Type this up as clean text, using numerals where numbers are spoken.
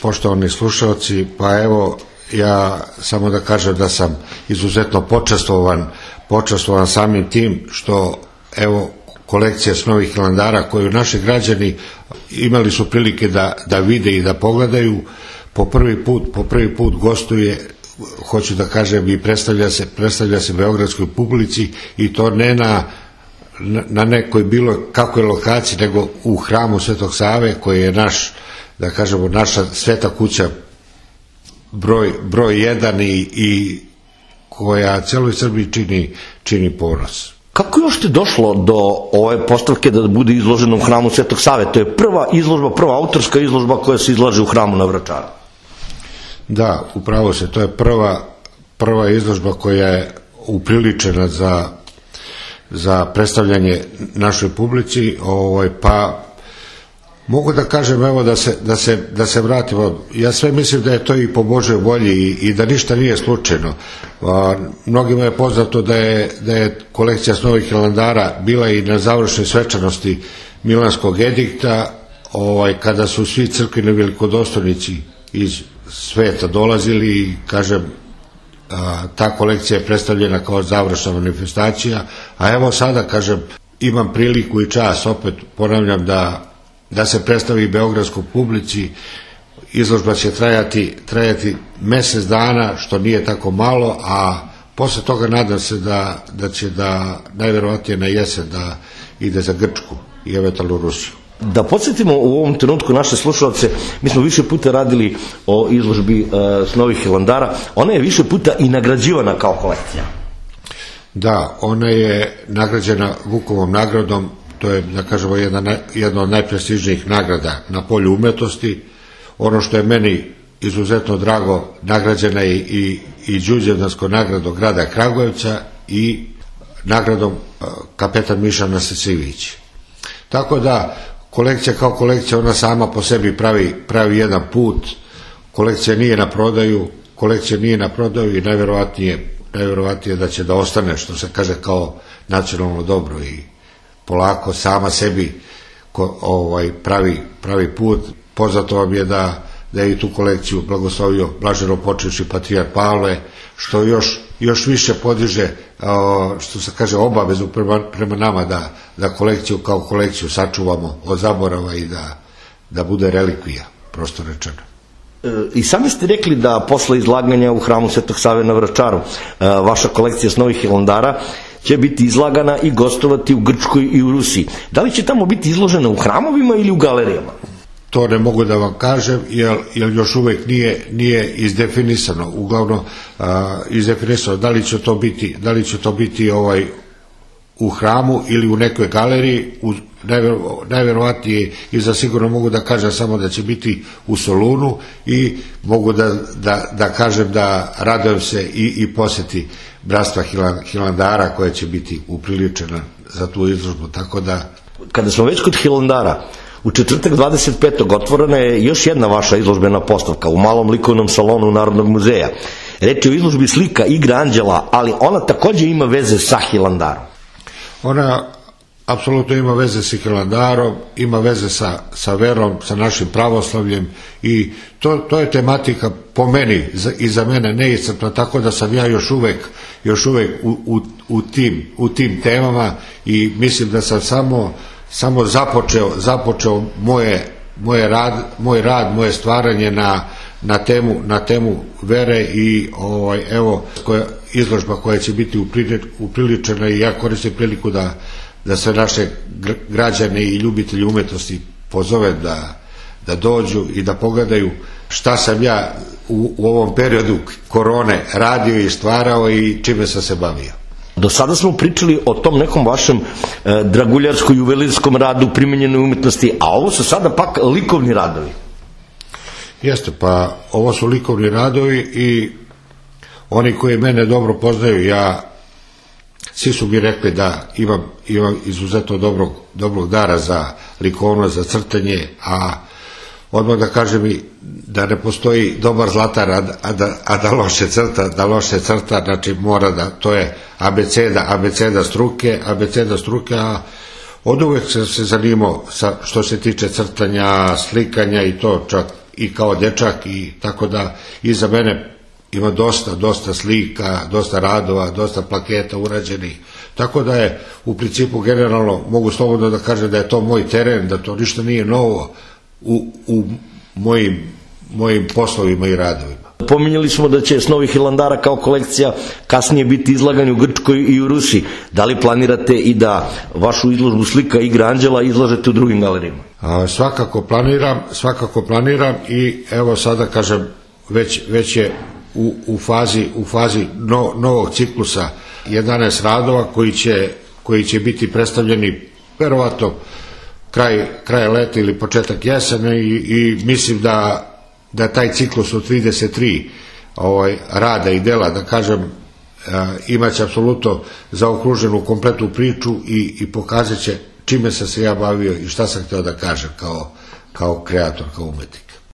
Poštovani slušalci, pa evo ja samo da kažem da sam izuzetno počastvovan samim tim što evo kolekcija s Novih Hilandara koju naši građani imali su prilike da vide i da pogledaju, po prvi put gostuje, hoću da kažem, i predstavlja se beogradskoj publici, i to ne na nekoj bilo kakvoj lokaciji, nego u hramu Svetog Save koji je naš, da kažemo, naša sveta kuća broj jedan i koja celoj Srbiji čini ponos. Kako još ti došlo do ove postavke da bude izložena u hramu Svetog Save? To je prva autorska izložba koja se izlaže u hramu na Vračaru. Da, upravo se, to je prva izložba koja je upriličena za predstavljanje našoj publici, pa mogu da kažem, evo, da se vratimo. Ja sve mislim da je to i po Božoj volji i da ništa nije slučajno. Mnogima je poznato da je kolekcija s Novih Hilandara bila i na završnoj svečanosti Milanskog edikta, kada su svi crkveni velikodostojnici iz sveta dolazili i, kažem, ta kolekcija je predstavljena kao završna manifestacija, a evo sada, kažem, imam priliku i čas, opet ponavljam, da se predstavi beogradskoj publici. Izložba će trajati mesec dana, što nije tako malo, a posle toga nadam se da će najverovatnije na jesen da ide za Grčku i eventualno Rusiju. Da podsjetimo u ovom trenutku naše slušalce, mi smo više puta radili o izložbi s Novih Hilandara, ona je više puta i nagrađivana kao kolekcija. Da, ona je nagrađena Vukovom nagradom, to je, da kažemo, jedna od najprestižnijih nagrada na polju umetnosti. Ono što je meni izuzetno drago, nagrađena je i Đurđevdanskom nagradom grada Kragujevca i nagradom kapetan Miša Nastasijević. Tako da, kolekcija kao kolekcija, ona sama po sebi pravi jedan put. Kolekcija nije na prodaju i najverovatnije da će da ostane, što se kaže, kao nacionalno dobro, i polako sama sebi pravi put. Poznato vam je da je i tu kolekciju blagoslovio blaženopočivši patrijarh Pavle, što još više podiže, što se kaže, obavezu prema nama da kolekciju kao kolekciju sačuvamo od zaborava i da bude relikvija, prosto rečeno. I sami ste rekli da posle izlaganja u hramu Svetog Save na Vračaru vaša kolekcija s Novih Hilandara će biti izlagana i gostovati u Grčkoj i u Rusiji. Da li će tamo biti izložena u hramovima ili u galerijama? To ne mogu da vam kažem, jer još uvek nije izdefinisano. Uglavnom izdefinisano da li će to biti u hramu ili u nekoj galeriji. Najverovatnije i za sigurno mogu da kažem samo da će biti u Solunu, i mogu da kažem da radujem se i poseti bratstva Hilandara koja će biti upriličena za tu izložbu, tako da... Kada smo već kod Hilandara, u četvrtak 25. otvorena je još jedna vaša izložbena postavka u malom likovnom salonu Narodnog muzeja. Reč je o izložbi slika Igra anđela, ali ona takođe ima veze sa Hilandarom. Ona apsolutno ima veze sa Hilandarom, ima veze sa verom, sa našim pravoslavljem, i to je tematika po meni i za mene neiscrpna, tako da sam ja još uvek u tim temama, i mislim da sam samo započeo moj rad, moje stvaranje na temu vere, i evo izložba koja će biti upriličena, i ja koristim priliku da sve naše građane i ljubitelji umetnosti pozove da dođu i da pogledaju šta sam ja u ovom periodu korone radio i stvarao i čime sam se bavio. Do sada smo pričali o tom nekom vašem draguljarsko-juvelirskom radu, primenjenoj umetnosti, a ovo su sada pak likovni radovi. Jeste, pa ovo su likovni radovi, i oni koji mene dobro poznaju, svi su mi rekli da imam izuzetno dobrog dara za likovno, za crtanje, a odmah da kažem i da ne postoji dobar zlatar, a da loše crta, znači mora da, to je abeceda struke, a od uvek sam se zanimao što se tiče crtanja, slikanja, i to čak i kao dečak, i tako da iza mene ima dosta slika, dosta radova, dosta plaketa urađenih, tako da je u principu generalno mogu slobodno da kažem da je to moj teren, da to ništa nije novo u mojim poslovima i radovima. Pominjali smo da će s Novih Hilandara kao kolekcija kasnije biti izlagani u Grčkoj i u Rusiji. Da li planirate i da vašu izložbu slika Igra anđela izlažete u drugim galerijama? Svakako planiram i evo sada kažem već je u fazi novog ciklusa 11 radova koji će biti predstavljeni verovatno kraj leta ili početak jesene i mislim da taj ciklus od 33 rada i dela, da kažem, imaće apsolutno zaokruženu kompletnu priču i pokazat će čime sam se ja bavio i šta sam hteo da kažem kao kreator, kao umetnik.